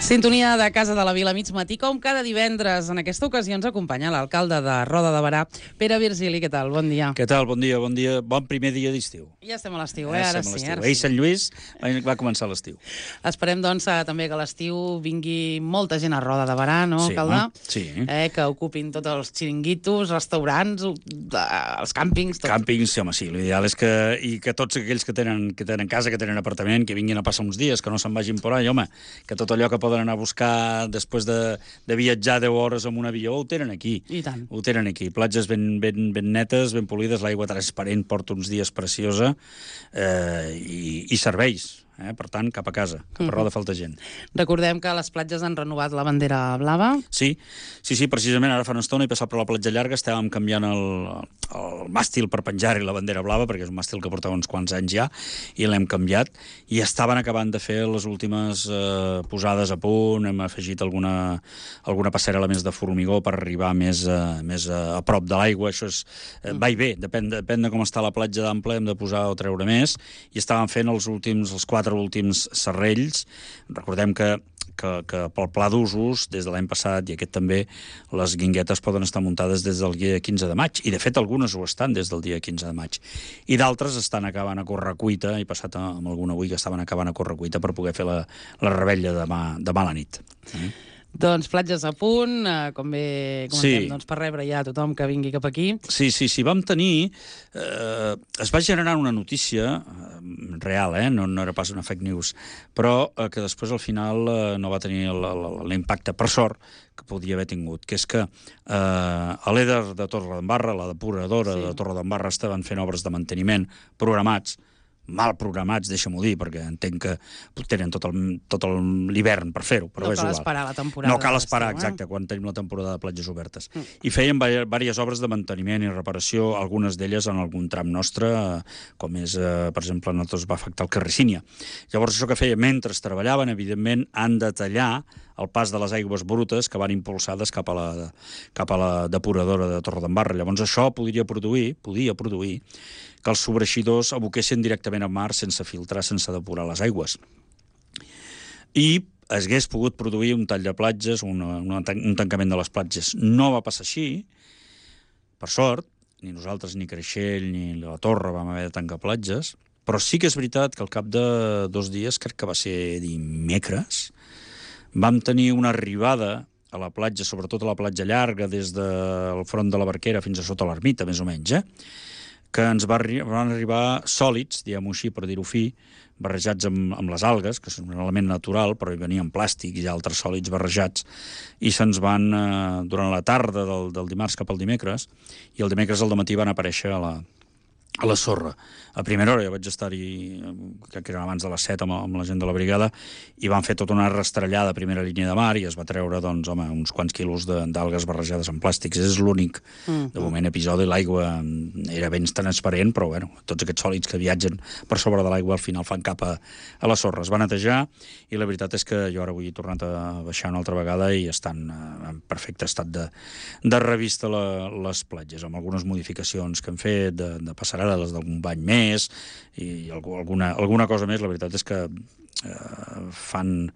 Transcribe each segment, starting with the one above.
Sintonia de Casa de la Vila mig matí, com cada divendres. En aquesta ocasió ens acompanya l'alcalde de Roda de Berà, Pere Virgili. Què tal? Bon dia. Què tal? Bon dia, bon dia. Bon primer dia d'estiu. Ja estem a l'estiu, Ara sí. Ahir Sant Lluís va començar l'estiu. Esperem, doncs, també que a l'estiu vingui molta gent a Roda de Berà, no, alcalde? Sí. Que ocupin tots els xiringuitos, restaurants, els càmpings... Tot. Càmpings, sí, home, sí. L'ideal és que tots aquells que tenen casa, que tenen apartament, que vinguin a passar uns dies, que no se'n vagin por ahí, home, que tot allò que poden anar a buscar després de viatjar 10 hores amb un avió, ho tenen aquí. I tant. Ho tenen aquí. Platges ben netes, ben polides, l'aigua transparent porta uns dies preciosa i serveis. Per tant, cap a casa, cap a Roda falta gent. Recordem que a les platges han renovat la bandera blava. Sí, precisament ara fa una estona he passat per la platja llarga, estàvem canviant el màstil per penjar-hi la bandera blava, perquè és un màstil que portava uns quants anys ja, i l'hem canviat, i estaven acabant de fer les últimes posades a punt, hem afegit alguna passarel·la més de formigó per arribar més a prop de l'aigua, això és va i ve, depèn de com està la platja d'ample, hem de posar o treure més, i estàvem fent els 4 últims serrells. Recordem que pel pla d'usos, des de l'any passat i aquest també, les guinguetes poden estar muntades des del dia 15 de maig, i de fet algunes ho estan des del dia 15 de maig. I d'altres estan acabant a correcuita, he passat amb alguna avui que estaven acabant a correcuita per poder fer la revetlla demà a la nit. Doncs platges a punt, com bé comentem, doncs per rebre ja tothom que vingui cap aquí. Sí, vam tenir... es va generar una notícia real, no era pas una fake news, però que després al final no va tenir l'impacte, per sort, que podia haver tingut, que és que a l'EDER de Torredembarra, la depuradora de Torredembarra, estaven fent obres de manteniment programats, mal programats, deixa-m'ho dir, perquè entenc que tenen tot l'hivern per fer-ho, però és igual. No cal esperar la temporada. No cal esperar, exacte, quan tenim la temporada de platges obertes. I feien diverses obres de manteniment i reparació, algunes d'elles en algun tram nostre, com és, per exemple, a nosaltres va afectar el carrer Sínia. Llavors, això que feia, mentre treballaven, evidentment, han de tallar el pas de les aigües brutes que van impulsades cap a la depuradora de Torredembarra. Llavors, això podia produir que els sobreixidors aboquessin directament al mar sense filtrar, sense depurar les aigües. I es hagués pogut produir un tall de platges, un tancament de les platges. No va passar així, per sort, ni nosaltres, ni Creixell, ni la Torre vam haver de tancar platges, però sí que és veritat que al cap de 2 dies, crec que va ser dimecres, vam tenir una arribada a la platja, sobretot a la platja llarga, des del front de la Barquera fins a sota l'ermita, més o menys, que ens van arribar sòlids, diguem-ho així, per dir-ho fi, barrejats amb les algues, que són un element natural, però hi venien plàstic i altres sòlids barrejats, i se'ns van, durant la tarda del dimarts cap al dimecres, i el dimecres al dematí van aparèixer a la sorra. A primera hora ja vaig estar-hi, crec que era abans de les 7 amb la gent de la brigada, i van fer tota una rastrellada a primera línia de mar i es va treure, doncs, uns quants quilos d'algues barrejades amb plàstics. És l'únic, de moment, episodi. L'aigua era ben transparent, però, tots aquests sòlids que viatgen per sobre de l'aigua al final fan cap a la sorra. Es va netejar i la veritat és que jo ara avui he tornat a baixar una altra vegada i estan en perfecte estat de revista les platges, amb algunes modificacions que hem fet, de passarel·les d'algun bany més i alguna cosa més. La veritat és que fan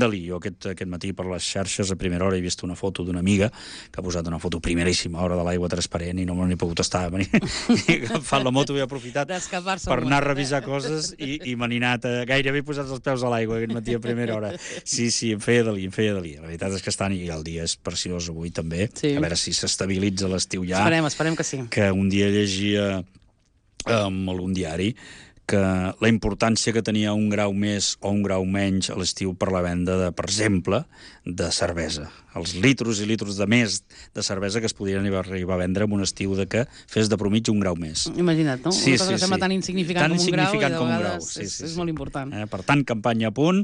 de lío. Aquest matí per les xarxes a primera hora he vist una foto d'una amiga que ha posat una foto primeríssima hora de l'aigua transparent i no me n'he pogut estar. Agafant la moto he aprofitat per anar a revisar coses i me n'he anat gairebé posats els peus a l'aigua aquest matí a primera hora. Sí, em feia de li. La veritat és que estan, i el dia és preciós avui també. A veure si s'estabilitza l'estiu ja. Esperem que sí. Que un dia llegia en algun diari que la importància que tenia un grau més o un grau menys a l'estiu per la venda, per exemple, de cervesa. Els litros i litros de més de cervesa que es podien arribar a vendre en un estiu que fes de promig un grau més. Imagina't, no? Una cosa que sembla tan insignificant com un grau i de vegades és molt important. Per tant, campanya a punt.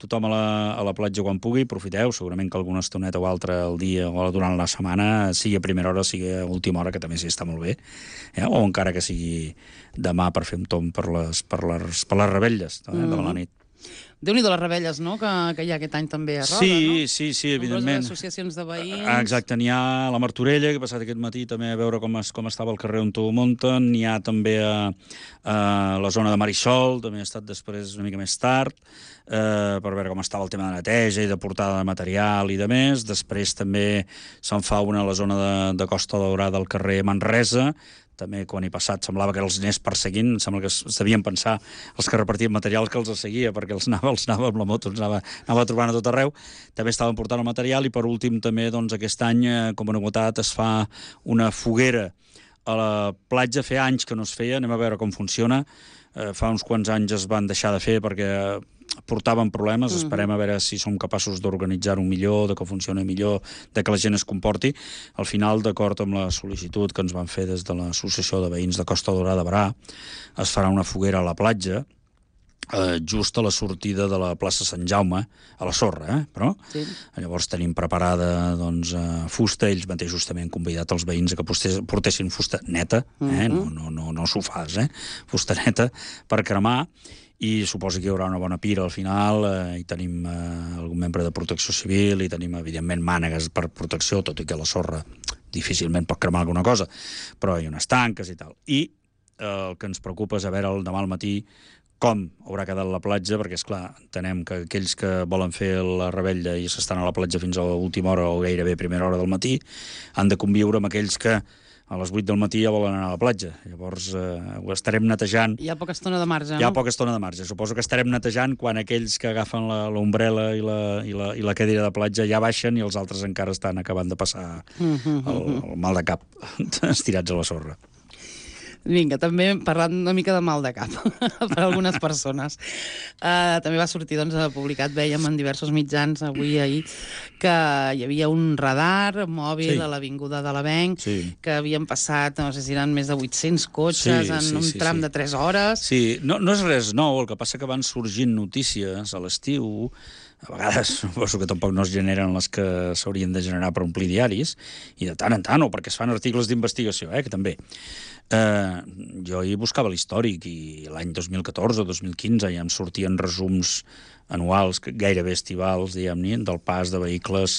Tothom a la platja quan pugui, aprofiteu, segurament que alguna estoneta o altra al dia o durant la setmana, sigui a primera hora, sigui a última hora, que també sí està molt bé, o encara que sigui demà per fer un tomb per les revetlles de la nit. Déu-n'hi-do les rebelles, no?, que hi ha aquest any també a Roda, no? Sí, evidentment. Nombroses associacions de veïns... Exacte, n'hi ha a la Martorella, que he passat aquest matí també a veure com estava el carrer on ho munten, n'hi ha també a la zona de Marisol, també he estat després una mica més tard, per veure com estava el tema de neteja i de portada de material i de més. Després també se'n fa una a la zona de Costa Daurada, al carrer Manresa. També quan hi passat semblava que els anés perseguint, sembla que es devien pensar els que repartien materials que els seguia, perquè els anava amb la moto, els anava trobant a tot arreu. També estaven portant el material i per últim també doncs, aquest any, com a novetat, es fa una foguera a la platja. Feia anys que no es feia, anem a veure com funciona. Fa uns quants anys es van deixar de fer perquè portaven problemes, esperem a veure si som capaços d'organitzar-ho millor, de que funcioni millor, de que la gent es comporti. Al final, d'acord amb la sol·licitud que ens van fer des de l'Associació de Veïns de Costa Daurada de Berà, es farà una foguera a la platja, just a la sortida de la plaça Sant Jaume, a la sorra, però sí. Llavors tenim preparada fusta, ells mateixos també han convidat els veïns a que portessin fusta neta, no sofàs, fusta neta per cremar, i suposo que hi haurà una bona pira al final, i tenim algun membre de protecció civil, i tenim, evidentment, mànegues per protecció, tot i que la sorra difícilment pot cremar alguna cosa, però hi ha unes tanques i tal. I el que ens preocupa és a veure el demà al matí com haurà quedat la platja, perquè, esclar, entenem que aquells que volen fer la rebella i s'estan a la platja fins a l'última hora o gairebé primera hora del matí, han de conviure amb aquells que a les 8 del matí ja volen anar a la platja. Llavors ho estarem netejant. Hi ha poca estona de marge, no? Hi ha poca estona de marge. Suposo que estarem netejant quan aquells que agafen l'ombrela i la cadira de platja ja baixen i els altres encara estan acabant de passar el mal de cap estirats a la sorra. Vinga, també parlant una mica de mal de cap per a algunes persones. També va sortir, publicat, vèiem en diversos mitjans avui i ahir, que hi havia un radar mòbil a l'Avinguda de l'Avenc, que havien passat, no sé si eren més de 800 cotxes en un tram de 3 hores. Sí, no és res nou, el que passa que van sorgint notícies a l'estiu, a vegades suposo que tampoc no es generen les que s'haurien de generar per omplir diaris, i de tant en tant, o perquè es fan articles d'investigació, que també. Jo hi buscava l'històric i l'any 2014 o 2015 ja em sortien resums anuals, gairebé estivals, diguem-ne, del pas de vehicles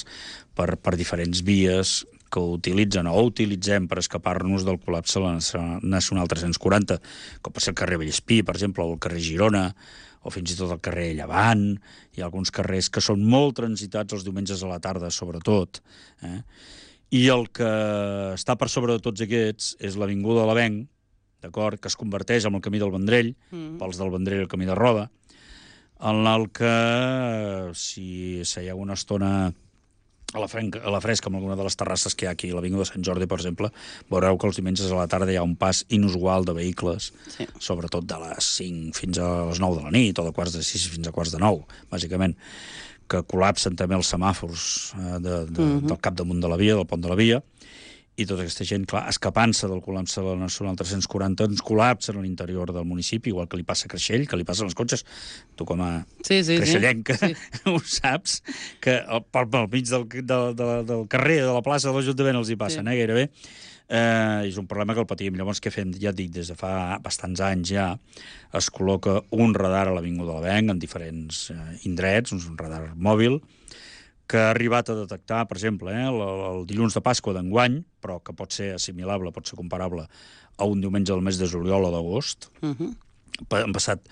per diferents vies que utilitzen o utilitzem per escapar-nos del col·lapse a la Nacional 340, com pot ser el carrer Vallespí, per exemple, o el carrer Girona, o fins i tot el carrer Llevant. Hi ha alguns carrers que són molt transitats els diumenges a la tarda, sobretot. I el que està per sobre de tots aquests és l'Avinguda de l'Avenc, d'acord, que es converteix en el camí del Vendrell, pels del Vendrell el camí de Roda, en el que, si seieu una estona a la fresca amb alguna de les terrasses que hi ha aquí, a l'Avinguda de Sant Jordi, per exemple, veureu que els diumenges a la tarda hi ha un pas inusual de vehicles, sobretot de les 5 fins a les 9 de la nit, o de quarts de 6 fins a quarts de 9, bàsicament, que col·lapsen també els semàfors del capdamunt de la via, del pont de la via, i tota aquesta gent, clar, escapant-se del col·lapse de la Nacional 340, ens col·lapsen a l'interior del municipi, igual que li passa a Creixell, que li passen els cotxes. Tu com a creixellenca ho saps, que pel mig del carrer, de la plaça de l'Ajuntament els hi passen, gairebé. És un problema que el patim. Llavors, què fem? Ja et dic, des de fa bastants anys ja es col·loca un radar a l'Avinguda de l'Avenc en diferents indrets, un radar mòbil, que ha arribat a detectar, per exemple, el dilluns de Pasqua d'enguany, però que pot ser assimilable, pot ser comparable a un diumenge del mes de juliol o d'agost. Han passat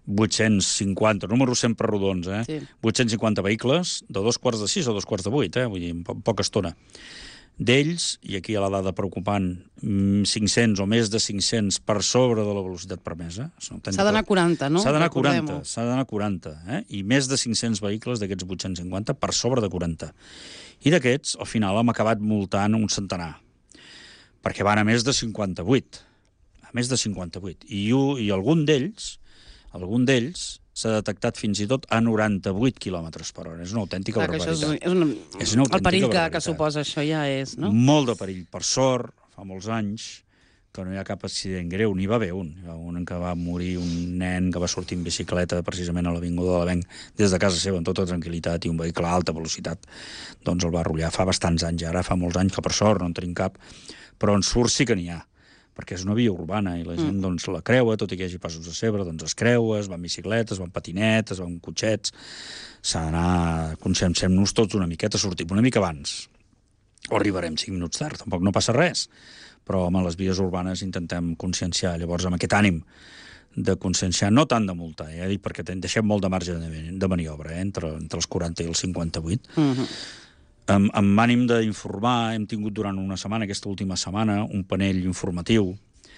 850, números sempre rodons, 850 vehicles, de 2:45 a 2:45, vull dir, en poca estona. D'ells, i aquí hi ha la dada preocupant, 500 o més de 500 per sobre de la velocitat permesa. S'ha d'anar a 40, no? S'ha d'anar a 40, i més de 500 vehicles d'aquests 850 per sobre de 40. I d'aquests, al final, hem acabat multant un centenar, perquè van a més de 58. A més de 58. I algun d'ells s'ha detectat fins i tot a 98 km per hora. És una autèntica barbaritat. El perill que suposa això ja és, no? Molt de perill. Per sort, fa molts anys, que no hi ha cap accident greu, n'hi va haver un. Hi va un en què va morir un nen que va sortir en bicicleta precisament a l'Avinguda de l'Avenc des de casa seva amb tota tranquil·litat i un vehicle a alta velocitat. Doncs el va arrollar fa bastants anys, ara fa molts anys que per sort no en tenim cap, però en surt sí que n'hi ha. perquè és una via urbana i la gent doncs, la creua, tot i que hi hagi passos de cebre, doncs es creua, es va en bicicletes, es va en patinetes, es va en cotxets. S'ha d'anar, conscienciem-nos tots una miqueta, sortim una mica abans. O arribarem 5 minuts tard, tampoc no passa res. Però, home, les vies urbanes intentem conscienciar. Llavors, amb aquest ànim de conscienciar, no tant de multar, dic, perquè deixem molt de marge de maniobra, entre els 40 i els 58. Amb ànim d'informar, hem tingut durant una setmana, aquesta última setmana, un panell informatiu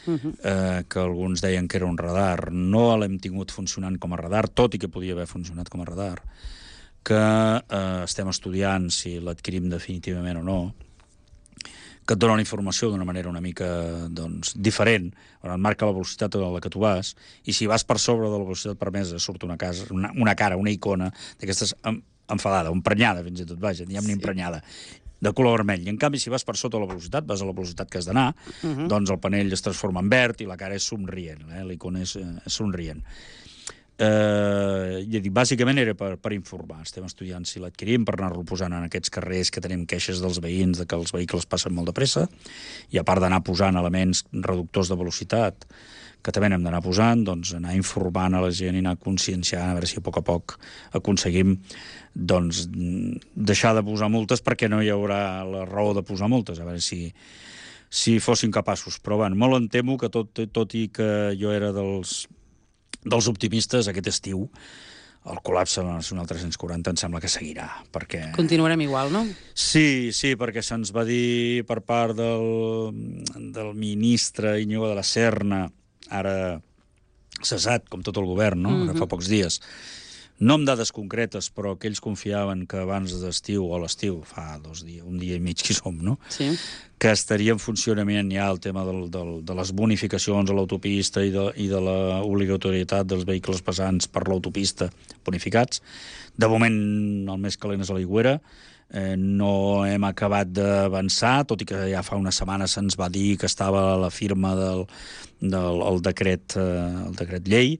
que alguns deien que era un radar. No l'hem tingut funcionant com a radar, tot i que podia haver funcionat com a radar, que estem estudiant si l'adquirim definitivament o no, que et dona una informació d'una manera una mica doncs, diferent, on et marca la velocitat a la que tu vas, i si vas per sobre de la velocitat permesa surt una cara, una icona d'aquestes enfadada, emprenyada fins i tot, vaja, diguem-ne emprenyada, de color vermell. I en canvi, si vas per sota la velocitat, vas a la velocitat que has d'anar, doncs el panell es transforma en verd i la cara és somrient, l'icona és somrient. Ja dic, bàsicament era per informar. Estem estudiant si l'adquirim per anar-lo posant en aquests carrers que tenim queixes dels veïns de que els vehicles passen molt de pressa, i a part d'anar posant elements reductors de velocitat que també n'hem d'anar posant, doncs anar informant a la gent i anar conscienciant, a veure si a poc aconseguim doncs, deixar de posar multes, perquè no hi haurà la raó de posar multes, a veure si fossin capaços. Però bueno, molt em temo que tot i que jo era dels optimistes, aquest estiu el col·lapse de la Nacional 340 em sembla que seguirà, perquè... Continuarem igual, no? Sí, perquè se'ns va dir per part del ministre Íñigo de la Serna, ara cessat, com tot el govern, no? Ara fa pocs dies, no amb dades concretes, però que ells confiaven que abans d'estiu, o l'estiu, fa 2 dies, un dia i mig que som, no? Sí. Que estaria en funcionament ja el tema de les bonificacions a l'autopista i de l'obligatorietat dels vehicles pesants per l'autopista bonificats. De moment, el més calent és a l'Aigüera. No hem acabat d'avançar, tot i que ja fa una setmana se'ns va dir que estava a la firma del decret llei,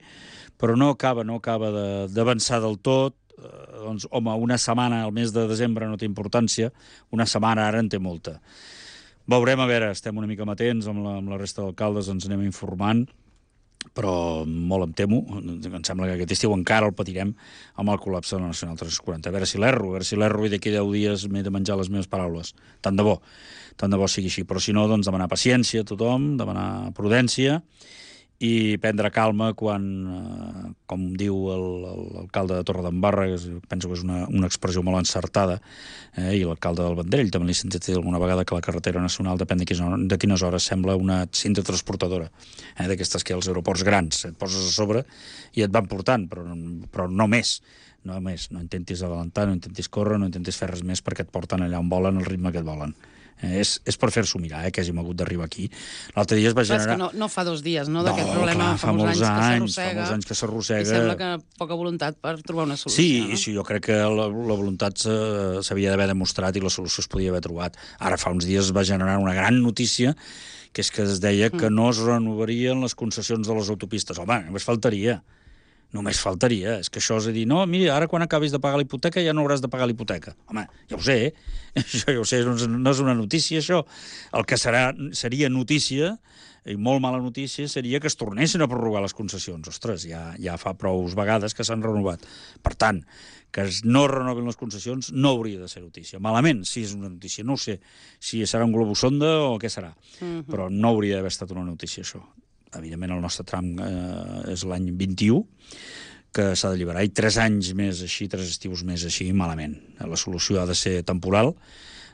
però no acaba d'avançar del tot. Doncs, home, una setmana al mes de desembre no té importància, una setmana ara en té molta. Veurem, a veure, estem una mica amatents amb la resta d'alcaldes, ens anem informant, però molt em temo, em sembla que aquest estiu encara el patirem amb el col·lapse de la Nacional 340. A veure si l'erro i d'aquí 10 dies m'he de menjar les meves paraules. Tant de bo sigui així, però si no, doncs demanar paciència a tothom, demanar prudència i prendre calma quan, com diu l'alcalde de Torredembarra, que penso que és una expressió molt encertada, i l'alcalde del Vendrell també l'he sentit dir alguna vegada, que la carretera nacional, depèn de quines hores, sembla una cinta transportadora, d'aquestes que als aeroports grans et poses a sobre i et van portant, però no més. No intentis adelantar, no intentis córrer, no intentis fer res més perquè et porten allà on volen, al ritme que et volen. És per fer-s'ho mirar, que hàgim hagut d'arribar aquí. L'altre dia es va generar... És que no fa 2 dies, no?, d'aquest problema. Fa molts anys que s'arrossega. I sembla que poca voluntat per trobar una solució. Sí, no? sí, jo crec que la voluntat s'havia d'haver demostrat i la solució es podia haver trobat. Ara fa uns dies es va generar una gran notícia, que és que es deia que no es renovarien les concessions de les autopistes. Home, només faltaria. És que això és a dir, no, mira, ara quan acabis de pagar la hipoteca ja no hauràs de pagar la hipoteca. Home, ja ho sé, això ja ho sé, no és una notícia, això. El que seria notícia, i molt mala notícia, seria que es tornessin a prorrogar les concessions. Ostres, ja fa prou vegades que s'han renovat. Per tant, que no renovin les concessions no hauria de ser notícia. Malament, sí, és una notícia. No ho sé si serà un globus sonda o què serà, però no hauria d'haver estat una notícia, això. Evidentment, el nostre tram és l'any 21, que s'ha d'alliberar, i 3 anys més així, 3 estius més així, malament. La solució ha de ser temporal,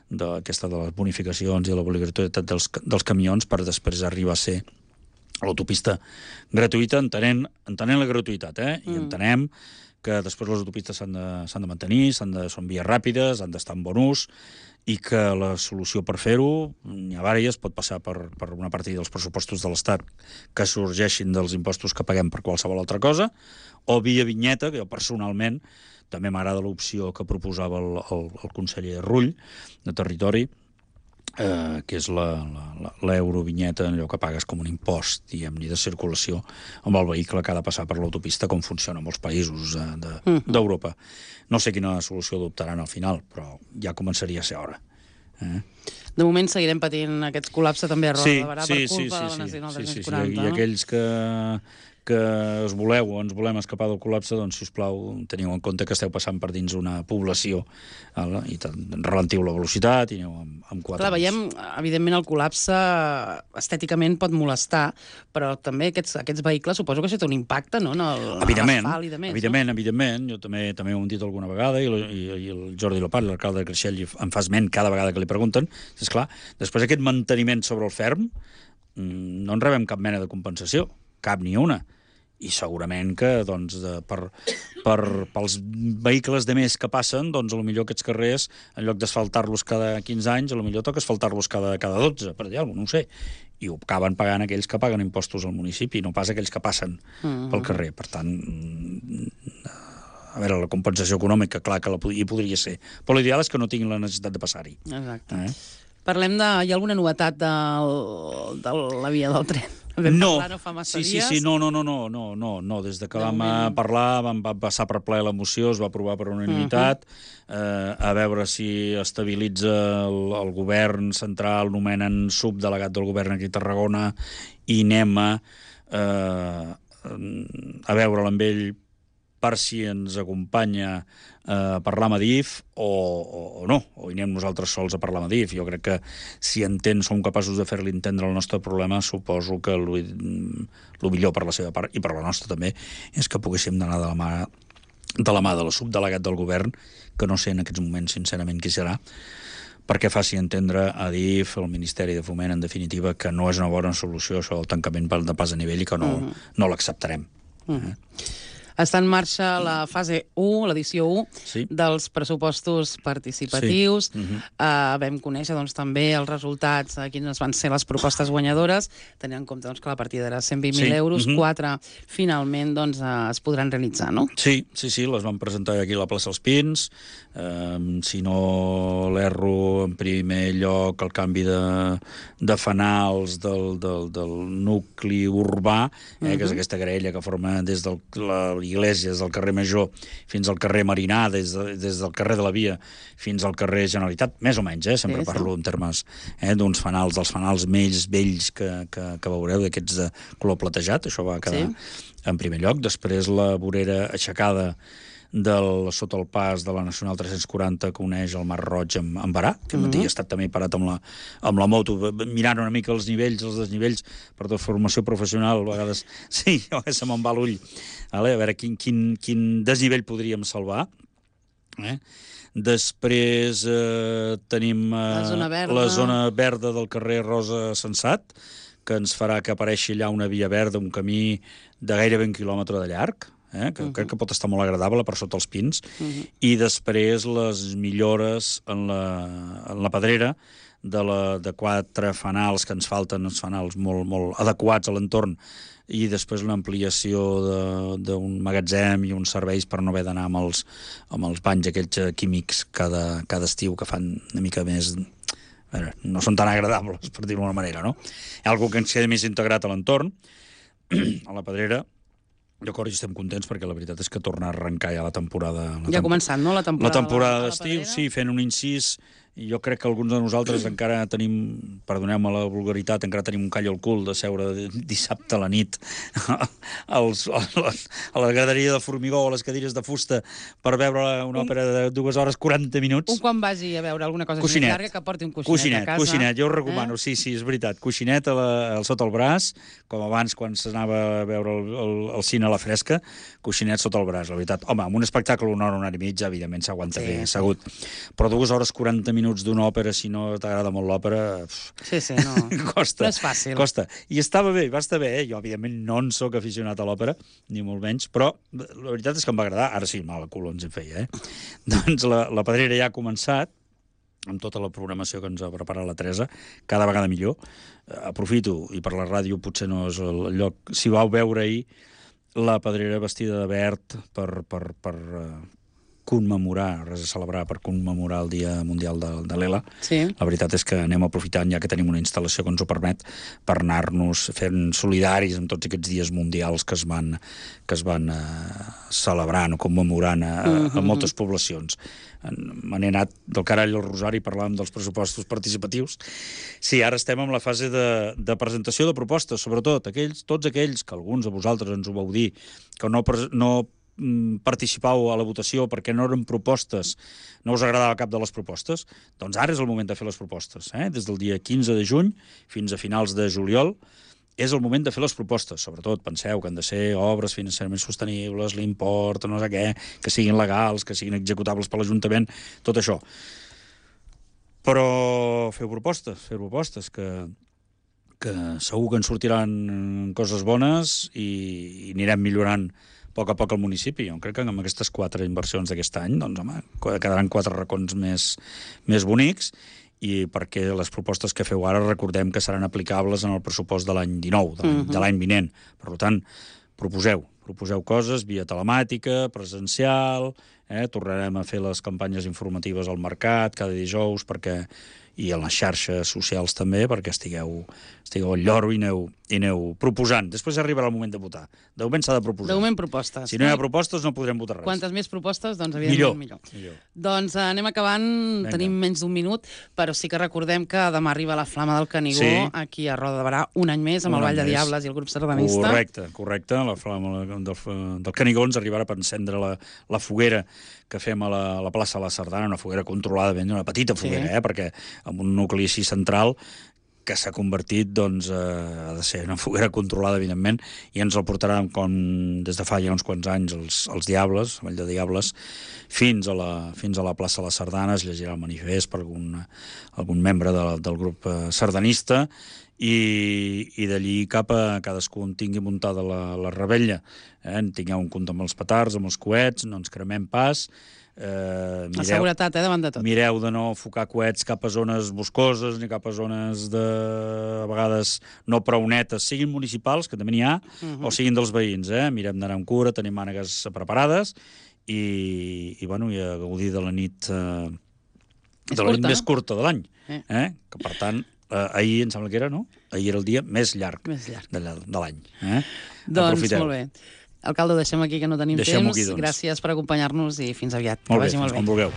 aquesta de les bonificacions i de l'obligatorietat dels camions, per després arribar a ser l'autopista gratuïta, entenent la gratuïtat, i entenem que després les autopistes s'han de mantenir, són vies ràpides, han d'estar en bon ús, i que la solució per fer-ho, n'hi ha diverses, pot passar per una partida dels pressupostos de l'Estat que sorgeixin dels impostos que paguem per qualsevol altra cosa, o via vinyeta, que jo personalment també m'agrada l'opció que proposava el conseller Rull, de Territori, que és l'eurovinyeta, allò que pagues com un impost, diguem-ne, de circulació amb el vehicle que ha de passar per l'autopista, com funciona en molts països d'Europa. No sé quina solució adoptaran al final, però ja començaria a ser hora. De moment seguirem patint aquest col·lapse també a Roda de Barà per culpa de la Nacional 340. I aquells que us voleu o ens volem escapar del col·lapse, doncs, sisplau, teniu en compte que esteu passant per dins una població i ralentiu la velocitat i aneu amb 4. Clar, veiem, evidentment, el col·lapse estèticament pot molestar, però també aquests vehicles suposo que això té un impacte, no?, en l'asfalt i de més. Evidentment. Jo també ho hem dit alguna vegada i el Jordi Lopat, l'alcalde de Creixell, em fa esment cada vegada que li pregunten. És clar, després aquest manteniment sobre el ferm no en rebem cap mena de compensació, cap ni una. I segurament que doncs, pels vehicles de més que passen, doncs potser aquests carrers, en lloc d'asfaltar-los cada 15 anys, potser toca asfaltar-los cada 12, per dir alguna cosa, no ho sé. I ho acaben pagant aquells que paguen impostos al municipi, no pas aquells que passen pel carrer. Per tant, a veure, la compensació econòmica, clar que hi podria ser, però l'ideal és que no tinguin la necessitat de passar-hi. Exacte. Parlem de... Hi ha alguna novetat de la via del tren? No fa massa dies. No. Des que vam parlar, vam passar per ple la moció, es va aprovar per unanimitat, a veure si estabilitza el govern central, nomenen subdelegat del govern aquí a Tarragona, i anem a veure'l amb ell per si ens acompanya a parlar amb Adif o no, o hi anem nosaltres sols a parlar amb Adif. Jo crec que si som capaços de fer-li entendre el nostre problema, suposo que el millor per la seva part i per la nostra també és que poguéssim anar de la mà de la subdelegat del govern, que no sé en aquests moments sincerament qui serà, perquè faci entendre a Adif, al Ministeri de Foment, en definitiva, que no és una bona solució això del tancament de pas a nivell i que no l'acceptarem. Està en marxa la fase 1, l'edició 1, dels pressupostos participatius. Vam conèixer també els resultats, quines van ser les propostes guanyadores, tenint en compte que la partida era 120.000 euros, 4 finalment es podran realitzar, no? Sí, les van presentar aquí a la plaça Els Pins. Si no l'erro, en primer lloc, el canvi de fanals del nucli urbà, que és aquesta graella que forma des de l'Iglésia, des del carrer Major fins al carrer Marinà, des del carrer de la Via fins al carrer Generalitat, més o menys, sempre parlo en termes d'uns fanals, dels fanals més vells que veureu, d'aquests de color platejat, això va quedar en primer lloc. Després la vorera aixecada sota el pas de la Nacional 340 que uneix el Mar Roig amb Barà, que he estat també parat amb la moto, mirant una mica els nivells, els desnivells, per de formació professional, a vegades sí, se me'n va l'ull, a veure quin desnivell podríem salvar. Després tenim la zona verda del carrer Rosa Sensat, que ens farà que apareixi allà una via verda, un camí de gairebé 1 quilòmetre de llarg, que crec que pot estar molt agradable per sota els pins, i després les millores en la pedrera de 4 fanals que ens falten, uns fanals molt adequats a l'entorn, i després l'ampliació d'un magatzem i uns serveis per no haver d'anar amb els banys aquells químics cada estiu, que fan una mica més... no són tan agradables, per dir-ho d'una manera, no? Hi ha alguna que ens queda més integrat a l'entorn, a la pedrera. D'acord, i estem contents perquè la veritat és que torna a arrencar ja la temporada... Ja ha començat, no?, la temporada d'estiu, sí, fent un incís. I jo crec que alguns de nosaltres encara tenim, perdoneu-me la vulgaritat, encara tenim un call al cul de seure dissabte a la nit a la graderia de formigó o a les cadires de fusta per veure una òpera de 2 hores 40 minuts. Un quan vagi a veure alguna cosa més llarga que porti un coixinet a casa. Coixinet, jo ho recomano, sí, és veritat. Coixinet sota el braç, com abans quan s'anava a veure el cine a la fresca, coixinet sota el braç, la veritat. Home, amb un espectacle d'una hora i mitja, evidentment s'aguanta bé, assegut. Però 2 hores 40 minuts d'una òpera, si no t'agrada molt l'òpera... no. Costa. No és fàcil. Costa. I estava bé, va estar bé. Jo, evidentment, no en soc aficionat a l'òpera, ni molt menys, però la veritat és que em va agradar. Ara sí, mal cul ens en feia, Doncs la pedrera ja ha començat, amb tota la programació que ens ha preparat la Teresa, cada vegada millor. Aprofito, i per la ràdio potser no és el lloc... Si vau veure ahir la pedrera vestida de verd per commemorar, res a celebrar, per commemorar el Dia Mundial de l'ELA. Sí. La veritat és que anem aprofitant, ja que tenim una instal·lació que ens ho permet, per anar-nos fent solidaris amb tots aquests dies mundials que es van celebrant o commemorant a moltes poblacions. Me n'he anat del carall al rosari, parlàvem dels pressupostos participatius. Sí, ara estem en la fase de presentació de propostes, sobretot tots aquells que alguns de vosaltres ens ho vau dir, que no participau a la votació perquè no eren propostes, no us agradava cap de les propostes, doncs ara és el moment de fer les propostes. Des del dia 15 de juny fins a finals de juliol és el moment de fer les propostes. Sobretot, penseu que han de ser obres financerament sostenibles, l'import, no sé què, que siguin legals, que siguin executables per l'Ajuntament, tot això. Però feu propostes que segur que en sortiran coses bones i anirem millorant a poc el municipi. Jo crec que amb aquestes 4 inversions d'aquest any, doncs, home, quedaran 4 racons més bonics, i perquè les propostes que feu ara recordem que seran aplicables en el pressupost de l'any 19, de l'any vinent. Per tant, proposeu coses via telemàtica, presencial, tornarem a fer les campanyes informatives al mercat cada dijous i a les xarxes socials també, perquè estigueu al lloro i aneu proposant. Després arribarà el moment de votar. De moment s'ha de proposar. De moment propostes. Si no hi ha propostes no podrem votar res. Quantes més propostes, doncs evidentment millor. Doncs anem acabant, tenim menys d'1 minut, però sí que recordem que demà arriba la Flama del Canigó, aquí a Roda de Barà, un any més, amb el Ball de Diables i el grup sardanista. Correcte. La Flama del Canigó ens arribarà per encendre la foguera que fem a la plaça de la Sardana, una foguera controlada, una petita foguera, perquè amb un nucli així central que s'ha convertit, doncs, ha de ser una foguera controlada, evidentment, i ens el portaran, com des de fa ja uns quants anys, els Diables, el Vall de Diables, fins a la plaça de la Sardana. Es llegirà el manifest per algun membre del grup sardanista, i d'allí cap a cadascú en tingui muntada la rebella. Tingueu un compte amb els petards, amb els coets, no ens cremem pas. La seguretat, davant de tot. Mireu de no focar coets cap a zones boscoses ni cap a zones a vegades no prou netes, siguin municipals, que també n'hi ha, o siguin dels veïns. Mirem d'anar amb cura, tenim mànegues preparades i a gaudir de la nit més curta de l'any. Que, per tant, ahir em sembla que era, no? Ahir era el dia més llarg de l'any. Doncs molt bé. Alcalde, ho deixem aquí, que no tenim temps. Gràcies per acompanyar-nos i fins aviat. Molt bé, fins quan vulgueu.